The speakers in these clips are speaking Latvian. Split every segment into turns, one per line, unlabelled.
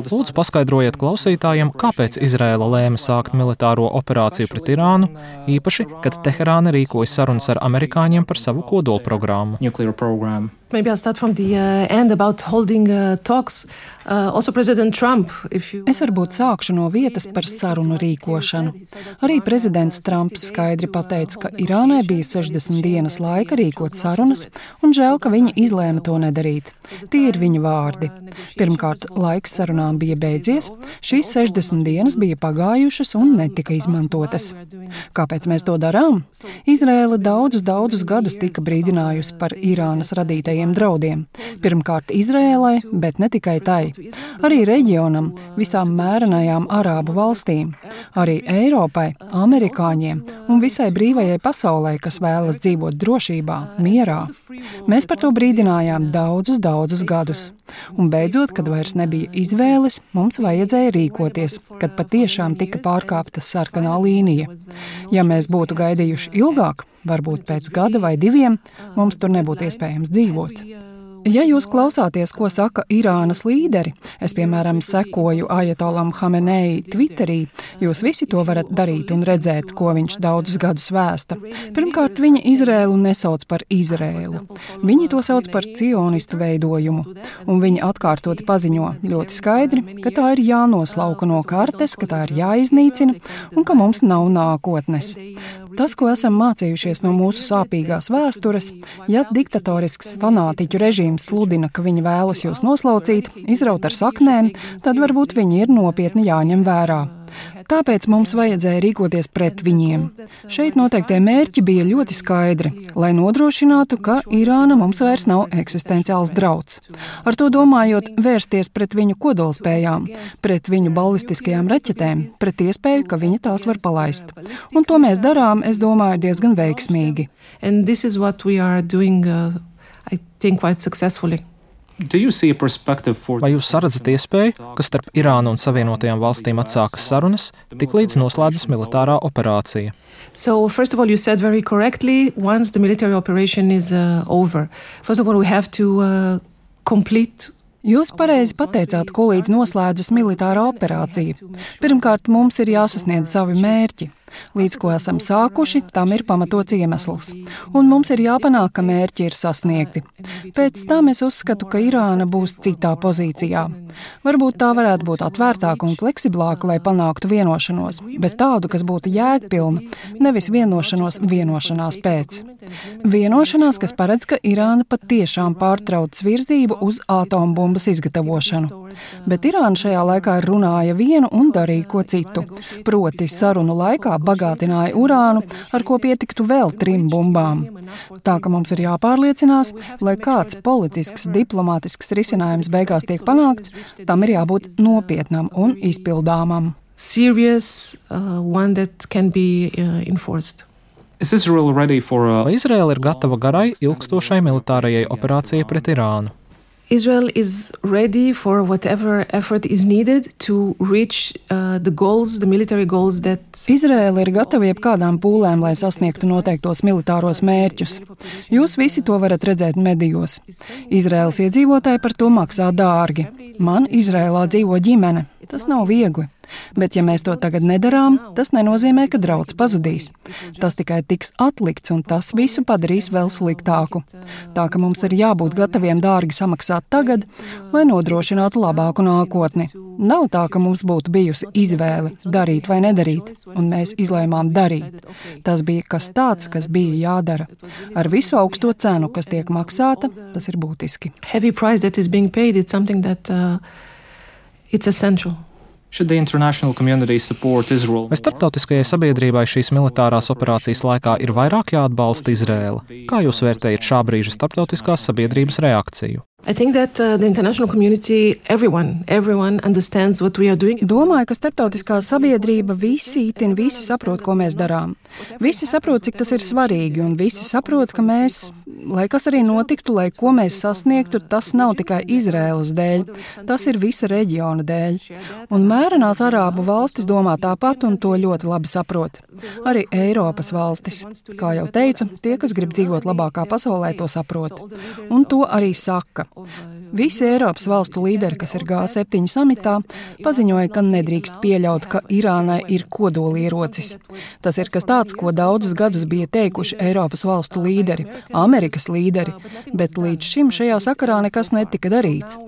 Lūdzu, paskaidrojiet klausītājiem, kāpēc Izraēla lēma sākt militāro operāciju pret Irānu, īpaši, kad Teherāna rīkoja sarunas ar amerikāņiem par savu kodolprogrammu.
Maybe I'll start from the end about holding talks. Also President Trump,
Es varbūt sākšu no vietas par sarunu rīkošanu. Arī prezidents Trumps skaidri pateica, ka Irānai bija 60 dienas laika rīkot sarunas, un žēl, ka viņi izlēma to nedarīt. Tie ir viņa vārdi. Pirmkārt, laiks sarunām bija beidzies, šīs 60 dienas bija pagājušas un netika izmantotas. Kāpēc mēs to darām? Izraēla daudzus gadus tika brīdinājusi par Irānas radītajiem draudiem. Pirmkārt Izraēlai, bet ne tikai tai. Arī reģionam, visām mērenajām arābu valstīm, arī Eiropai, amerikāņiem un visai brīvajai pasaulē, kas vēlas dzīvot drošībā, mierā. Mēs par to brīdinājām daudzus gadus. Un beidzot, kad vairs nebija izvēles, mums vajadzēja rīkoties, kad patiešām tika pārkāpta sarkanā līnija. Ja mēs būtu gaidījuši ilgāk, varbūt pēc gada vai 2, mums tur nebūtu iespējams dzīvot. Ja jūs klausāties, ko saka Irānas līderi, es, piemēram, sekoju Ajatolam Hamenei Twitterī, jūs visi to varat darīt un redzēt, ko viņš daudzus gadus vēsta. Pirmkārt, viņa Izraēlu nesauc par Izraēlu. Viņi to sauc par cionistu veidojumu, un viņi atkārtoti paziņo ļoti skaidri, ka tā ir jānoslauka no kartes, ka tā ir jāiznīcina un ka mums nav nākotnes. Tas, ko esam mācījušies no mūsu sāpīgās vēstures, ja diktatorisks fanātiķu režīms sludina, ka viņi vēlas jūs noslaucīt, izraut ar saknēm, tad varbūt viņi ir nopietni jāņem vērā. Tāpēc mums vajadzēja rīkoties pret viņiem. Šeit noteiktie mērķi bija ļoti skaidri, lai nodrošinātu, ka Irāna mums vairs nav eksistenciāls drauds. Ar to domājot vērsties pret viņu kodolspējām, pret viņu ballistiskajām raķetēm, pret iespēju, ka viņi tās var palaist. Un to mēs darām, es domāju, diezgan veiksmīgi.
And this is what we are doing, I think, quite successfully.
Vai jūs saredzat iespēju, ka starp Irānu un Savienotajām valstīm atsākas sarunas, tiklīdz noslēdzas militārā operācija?
So, first of all, you said very correctly, once the military operation is over. First of all, we have to complete.
Jūs pareizi pateicāt, ko līdz noslēdzas militārā operācija. Pirmkārt, mums ir jāsasniedz savi mērķi. Līdz ko esam sākuši, tam ir pamatots iemesls. Un mums ir jāpanāk, ka mērķi ir sasniegti. Pēc tam es uzskatu, ka Irāna būs citā pozīcijā. Varbūt tā varētu būt atvērtāka un fleksiblāka, lai panāktu vienošanos, bet tādu, kas būtu jēgpilna, nevis vienošanās pēc. Vienošanās, kas paredz, ka Irāna patiešām pārtrauc virzību uz atombumbas izgatavošanu. Bet Irāna šajā laikā runāja vienu un darīja ko citu. Proti sarunu laikā bagātināja urānu, ar ko pietiktu vēl 3 bumbām. Tā ka mums ir jāpārliecinās, lai kāds politisks, diplomātisks risinājums beigās tiek panākts, tam ir jābūt nopietnam un izpildāmam.
Serious, one that can be enforced.
Vai Izraēla ir gatava garai, ilgstošai militārajai operācijai pret Irānu?
Israel is ready for whatever effort is needed to reach the goals, the military goals that.
Izraēla ir gatava jebkādām pūlēm, lai sasniegtu noteiktos militāros mērķus. Jūs visi to varat redzēt medijos. Izraēlas iedzīvotāji par to maksā dārgi. Man Izraēlā dzīvo ģimene. Tas nav viegli. Bet ja mēs to tagad nedarām, tas nenozīmē, ka drauds pazudīs. Tas tikai tiks atlikts, un tas visu padarīs vēl sliktāku. Tā ka mums ir jābūt gataviem dārgi samaksāt tagad, lai nodrošinātu labāku nākotni. Nav tā, ka mums būtu bijusi izvēle darīt vai nedarīt, un mēs izlēmām darīt. Tas bija kas tāds, kas bija jādara. Ar visu augsto cenu, kas tiek maksāta, tas ir būtiski.
Heavy price that is being paid, it's something that it's essential.
Vai starptautiskajai sabiedrībai šīs militārās operācijas laikā ir vairāk jāatbalsta Izraēla? Kā jūs vērtējat šā brīža starptautiskās sabiedrības reakciju?
I think that the international community, everyone understands what we are doing.
Domāju, ka starptautiskā sabiedrība visi saprot, ko mēs darām. Visi saprot, cik tas ir svarīgi, un visi saprot, ka mēs, lai kas arī notiktu, lai ko mēs sasniegtu, tas nav tikai Izraēlas dēļ, tas ir visa reģiona dēļ. Un mērenās arābu valstis domā tāpat un to ļoti labi saprot. Arī Eiropas valstis. Kā jau teicu, tie, kas grib dzīvot labākā pasaulē, to saprot. Un to arī saka. Visi Eiropas valstu līderi, kas ir G7 samitā, paziņoja, ka nedrīkst pieļaut, ka Irānai ir kodolierocis. Tas ir kas tāds, ko daudzus gadus bija teikuši Eiropas valstu līderi, Amerikas līderi, bet līdz šim šajā sakarā nekas netika darīts.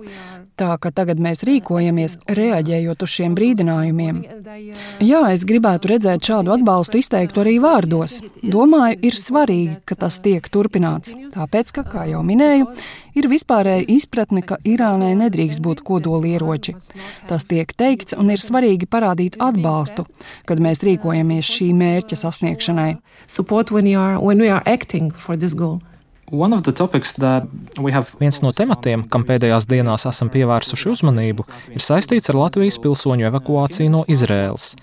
Tā, ka tagad mēs rīkojamies, reaģējot uz šiem brīdinājumiem. Jā, es gribētu redzēt šādu atbalstu izteiktu arī vārdos. Domāju, ir svarīgi, ka tas tiek turpināts. Tāpēc, ka, kā jau minēju, ir vispārēja izpratne, ka Irānai nedrīkst būt kodolieroči. Tas tiek teikts un ir svarīgi parādīt atbalstu, kad mēs rīkojamies šī mērķa sasniegšanai.
Support when we are acting for this goal.
Viens no tematiem, kam pēdējās dienās esam pievērsuši uzmanību, ir saistīts ar Latvijas pilsoņu evakuāciju no Izraēlas.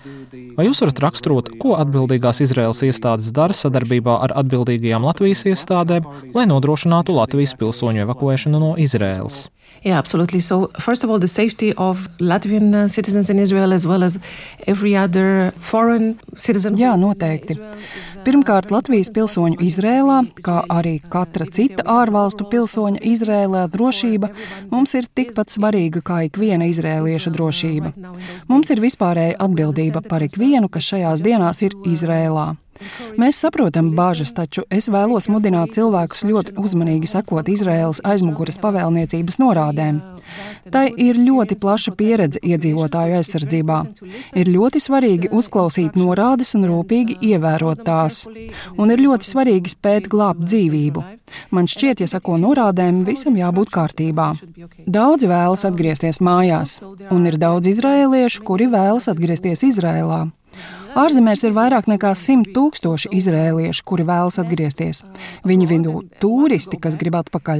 Vai jūs varat raksturot, ko atbildīgās Izraēlas iestādes dara sadarbībā ar atbildīgajām Latvijas iestādēm, lai nodrošinātu Latvijas pilsoņu evakuēšanu no Izraēlas?
Yeah, absolutely. So, first of all, the safety of Latvian citizens in Israel as well as every other foreign citizen.
Jā, noteikti. Pirmkārt, Latvijas pilsoņu Izrēlā, kā arī katra cita ārvalstu pilsoņa Izrēlā drošība, mums ir tikpat svarīga kā ikviena izrēlieša drošība. Mums ir vispārēja atbildība par ikvienu, kas šajās dienās ir Izrēlā. Mēs saprotam bāžas, taču es vēlos mudināt cilvēkus ļoti uzmanīgi sekot Izraēlas aizmuguras pavēlniecības norādēm. Tai ir ļoti plaša pieredze iedzīvotāju aizsardzībā. Ir ļoti svarīgi uzklausīt norādes un rūpīgi ievērot tās. Un ir ļoti svarīgi spēt glābt dzīvību. Man šķiet, ja seko norādēm, visam jābūt kārtībā. Daudzi vēlas atgriezties mājās, un ir daudz izraēliešu, kuri vēlas atgriezties Izraēlā. Ārzemēs ir vairāk nekā 100 000 izrēliešu, kuri vēlas atgriezties. Viņu vidū turisti, kas grib atpakaļ.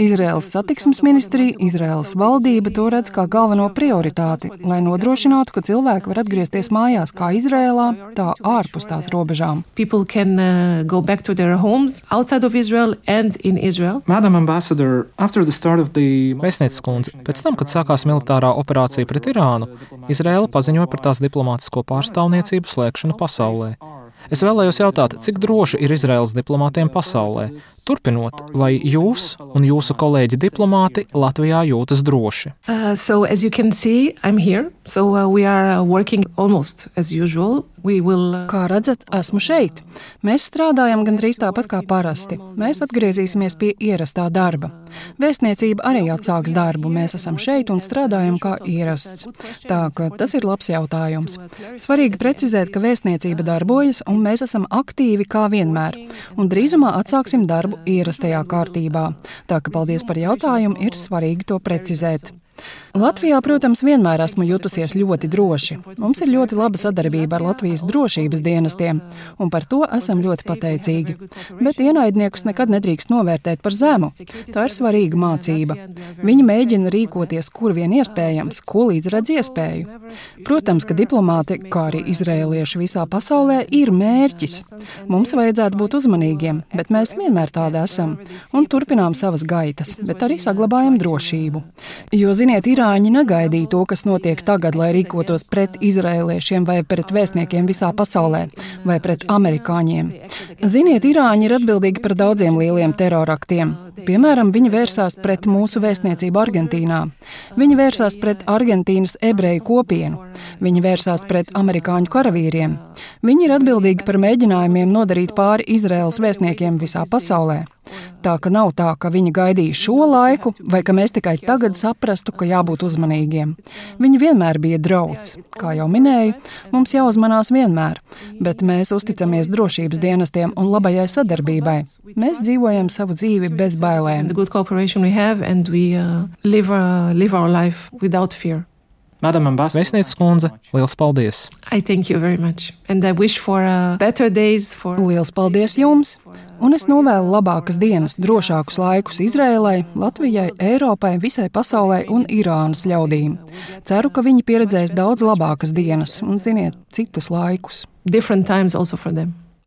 Izraēlas satiksmes ministrija, Izraēlas valdība to redz kā galveno prioritāti, lai nodrošinātu, ka cilvēki var atgriezties mājās kā Izraēlā, tā ārpus tās robežām.
People can go back to their homes outside of Israel and in Israel.
Madam Ambassador, after the start of the... Vēstnieces kundze, pēc tam, kad sākās militārā operācija pret Irānu, Izraēla paziņoja par tās diplomātisko pārstāvniecību slēgšanu pasaulē. Es vēlējos jautāt, cik droši ir Izraēlas diplomātiem pasaulē? Turpinot, vai jūs un jūsu kolēģi diplomāti Latvijā jūtas droši?
So as you can see, I'm here. So we are working almost as usual.
Kā redzat, esmu šeit. Mēs strādājam gandrīz tāpat kā parasti. Mēs atgriezīsimies pie ierastā darba. Vēstniecība arī atsāks darbu. Mēs esam šeit un strādājam kā ierasts. Tā ka tas ir labs jautājums. Svarīgi precizēt, ka vēstniecība darbojas un mēs esam aktīvi kā vienmēr. Un drīzumā atsāksim darbu ierastajā kārtībā. Tā ka paldies par jautājumu, ir svarīgi to precizēt. Latvijā, protams, vienmēr esmu jutusies ļoti droši. Mums ir ļoti laba sadarbība ar Latvijas drošības dienestiem, un par to esam ļoti pateicīgi. Bet ienaidniekus nekad nedrīkst novērtēt par zemu. Tā ir svarīga mācība. Viņi mēģina rīkoties, kur vien iespējams, ko līdz redz iespēju. Protams, ka diplomāti, kā arī izrēlieši visā pasaulē, ir mērķis. Mums vajadzētu būt uzmanīgiem, bet mēs vienmēr tādi esam, un turpinām savas gaitas, bet arī saglabājam drošību. Jo, ziniet, irāņi negaidīja to, kas notiek tagad, lai rīkotos pret izrēliešiem vai pret vēstniekiem visā pasaulē, vai pret amerikāņiem. Ziniet, irāņi ir atbildīgi par daudziem lieliem teroraktiem. Piemēram, viņi vērsās pret mūsu vēstniecību Argentīnā. Viņi vērsās pret Argentīnas ebreju kopienu. Viņi vērsās pret amerikāņu karavīriem. Viņi ir atbildīgi par mēģinājumiem nodarīt pāri Izraēlas vēstniekiem visā pasaulē. Tā ka nav tā, ka viņi gaidīja šo laiku, vai ka mēs tikai tagad saprastu, ka jābūt uzmanīgiem. Viņi vienmēr bija drauds. Kā jau minēju, mums jāuzmanās vienmēr, bet mēs uzticamies drošības dienestiem un labajai sadarbībai. Mēs dzīvojam savu dzīvi bez bailēm.
Vēstnieces kundze, liels paldies!
Liels paldies jums! Un es novēlu labākas dienas, drošākus laikus Izrēlai, Latvijai, Eiropai, visai pasaulē un Irānas ļaudīm. Ceru, ka viņi pieredzēs daudz labākas dienas un, ziniet, citus laikus.
Different times also for them.